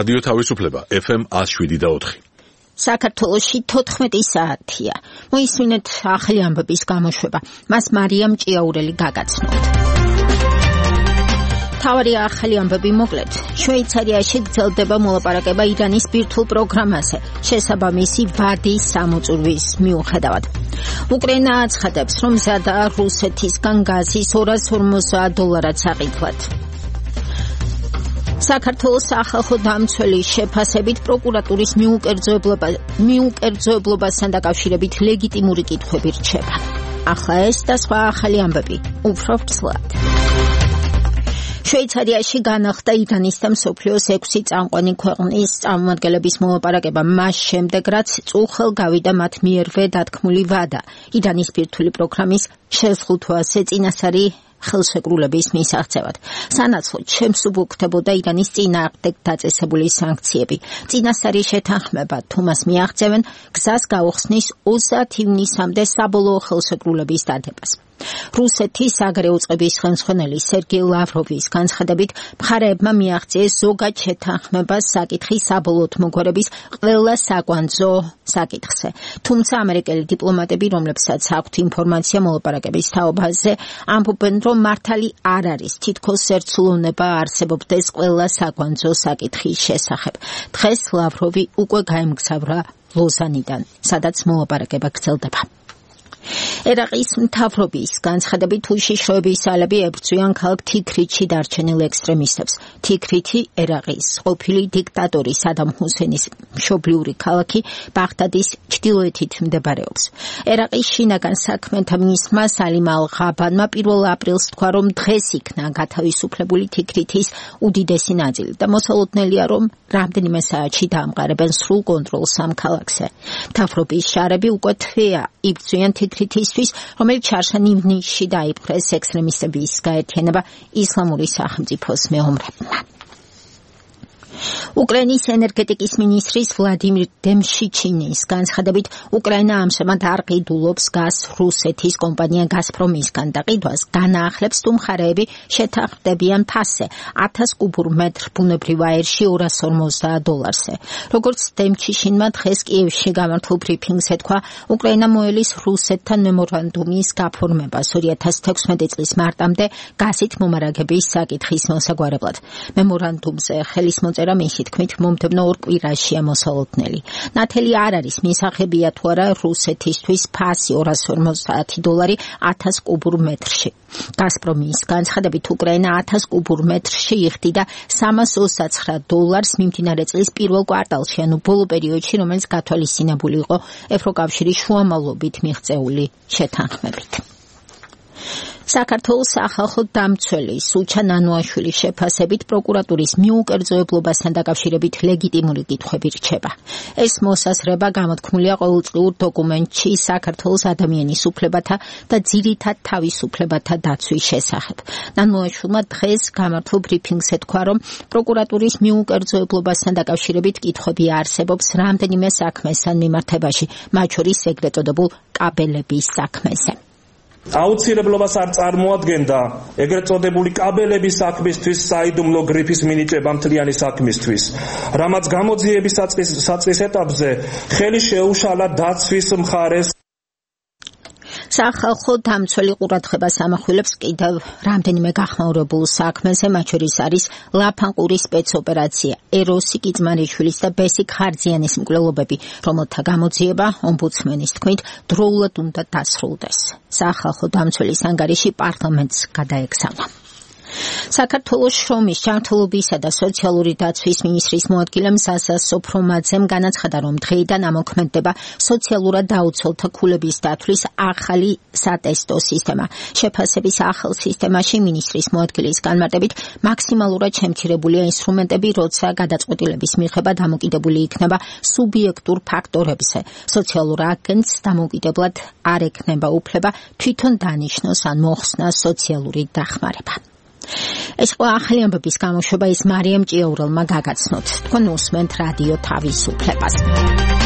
რადიო თავისუფლება FM 107.4. საქართველოში 14 საათია. მოისმინეთ ახალი ამბების გამოშვება. მას მარიამ ჭიაურელი გაგაცნოთ. თავარი ახალი ამბები მოკლედ. შვეიცარიაში გრძელდება მოლაპარაკება ირანის ბირთვულ პროგრამაზე, შესაბამისი ვადის სამოწურვის მიუხედავად. უკრაინა აცხადებს, რომ მზადაა რუსეთისგან გაზის $250 საყიდლად. საქართველოს სახალხო დამცველის შეფასებით პროკურატურის მიუკერძოებლობასთან დაკავშირებით ლეგიტიმური კითხვები რჩება. ახლა ეს და სხვა ახალი ამბები უფრო ვრცლად. შვეიცარიაში განახლდა ირანის და მსოფლიოს 6 წამყვანი ქვეყნის წარმომადგენლების მოლაპარაკება მას შემდეგ, რაც წუხელ გავიდა მათ მიერვე დათქმული ვადა ირანის ბირთვული პროგრამის შეზღუდვაზე წინასწარი ხელშეკრულების მისაღწევად. სანაცვლოდ შემსუბუქდებოდა ირანის წინააღმდეგ დაწესებული სანქციები. წინასწარი შეთანხმება თუმას მიაღწევენ გზას გაუხსნის 20 ივნისამდე საბოლოო ხელშეკრულების დადებას. რუსეთის საგარეო წყების ხელმძღვანელი სერგეი ლავროვის განცხადებით, მხარეებმა მიაღწიეს ზოგად შეთანხმებას საკითხის საბოლოოდ მოგვარების ყველა საკვანძო საკითხზე. თუმცა ამერიკელი დიპლომატები, რომლებსაც აქვთ ინფორმაცია მოლაპარაკების თაობაზე, ამბობენ, რომ მართალი არ არის თითქოს ერთსულოვნება არსებობდეს ყველა საკვანძო საკითხის შესახებ. დღეს ლავროვი უკვე გაემგზავრა ლოზანიდან, სადაც მოლაპარაკება გრძელდება. ერაყის მთავრობის განცხადებით უშიშროების ძალები ებრძვიან ქალაქ თიქრითში დარჩენილ ექსტრემისტებს. თიქრითი ერაყის ყოფილი დიქტატორის სადამ ჰუსენის მშობლიური ქალაქი ბაღდადის ჩრდილოეთით მდებარეობს. ერაყის შინაგან საქმეთა მინისტრმა სალიმ ალ-ღაბანმა 1 აპრილს თქვა, რომ დღეს იქნა გათავისუფლებული თიქრითის უდიდესი ნაწილი და მოსალოდნელია, რომ რამდენიმე საათში დაამყარებენ სრულ კონტროლს ამ ქალაქზე. მთავრობის შარები უკვე თვეა იბრძვიან თიქრითისთვის, რომელიც ჩარშან ივნისში დაიპყრეს ექსტრემისტების გაერთიანება ისლამური სახელმწიფოს მეომრებმა. უკრაინის ენერგეტიკის მინისტრის ვლადიმირ დემშიჩინის განცხადებით, უკრაინა ამჟამად არ ყიდულობს გაზს რუსეთის კომპანია გაზპრომისგან და ყიდვას განაახლებს თუ მხარეები შეთანხმდებიან ფასზე 1000 კუბურ მეტრ ბუნებრივ აირში $250-ზე. როგორც დემშიჩინმა დღეს კიევში გამართულ ბრიფინგზე თქვა, უკრაინა მოელის რუსეთთან მემორანდუმის გაფორმებას 2016 წლის მარტამდე გაზით მომარაგების საკითხის მოსაგვარებლად. მემორანდუმზე ხელის მოწერა მისი თქმით მომდევნო 2 კვირაშია მოსალოდნელი. ნათელი არ არის მისაღებია თუ არა რუსეთისთვის ფასი $250 1000 კუბურ მეტრში. გაზპრომის განცხადებით, უკრაინა 1000 კუბურ მეტრში იხდიდა $329 მიმდინარე წლის პირველ კვარტალში, ანუ ბოლო პერიოდში, რომელიც გათვალისწინებული იყო ევროკავშირის შუამავლობით მიღწეული შეთანხმებით. საქართველოს სახალხო დამცველის სუჩა ნანუაშვილის შეფასებით პროკურატურის მიუკერძოებლობასთან დაკავშირებით ლეგიტიმური კითხვები რჩება. ეს მოსაზრება გამოთქმულია ყოველწლიურ დოკუმენტში საქართველოს ადამიანის უფლებათა და ძირითად თავისუფლებათა დაცვის შესახებ. ნანუაშვილმა დღეს გამართულ ბრიფინგზე თქვა, რომ პროკურატურის მიუკერძოებლობასთან დაკავშირებით კითხვები არსებობს რამდენიმე საქმესთან მიმართებაში, მათ შორის ეგრეთ წოდებულ კაბელების საქმეზე. აუცილებლობას არ წარმოადგენდა ეგრეთ წოდებული კაბელების საქმისთვის საიდუმლო გრიფის მინიჭება მთლიანი საქმისთვის, რამაც გამოძიების საწყის ეტაპზე ხელი შეუშალა დაცვის მხარეს. სახალხო დამცველი ყურადღებას ამახვილებს კიდევ რამდენიმე გახმაურებულ საქმეზე, მათ შორის არის ლაფანყურის სპეცოპერაცია, ეროსი კიძმარიშვილის და ბესიკ ხარძიანის მკვლელობები, რომელთა გამოძიება ომბუდსმენის თქმით დროულად უნდა დასრულდეს. სახალხო დამცველის ანგარიში პარლამენტს გადაეგზავნა. საქართველოს შრომის, ჯანმრთელობისა და სოციალური დაცვის მინისტრის მოადგილემ ზაზა სოფრომაძემ განაცხადა, რომ დღეიდან ამოქმედდება სოციალურად დაუცველთა ქულების დათვლის ახალი სატესტო სისტემა. შეფასების ახალ სისტემაში მინისტრის მოადგილის განმარტებით მაქსიმალურად შემცირებულია ინსტრუმენტები, როცა გადაწყვეტილების მიღება დამოკიდებული იქნება სუბიექტურ ფაქტორებზე. სოციალურ აგენტს დამოუკიდებლად არ ექნება უფლება თვითონ დანიშნოს ან მოხსნას სოციალური დახმარება. ეს ყველა ახალი ამბების გამოშვება ის მარიამ ჭიაურელმა გაგაცნოთ. თქვენ უსმენთ რადიო თავისუფლებას.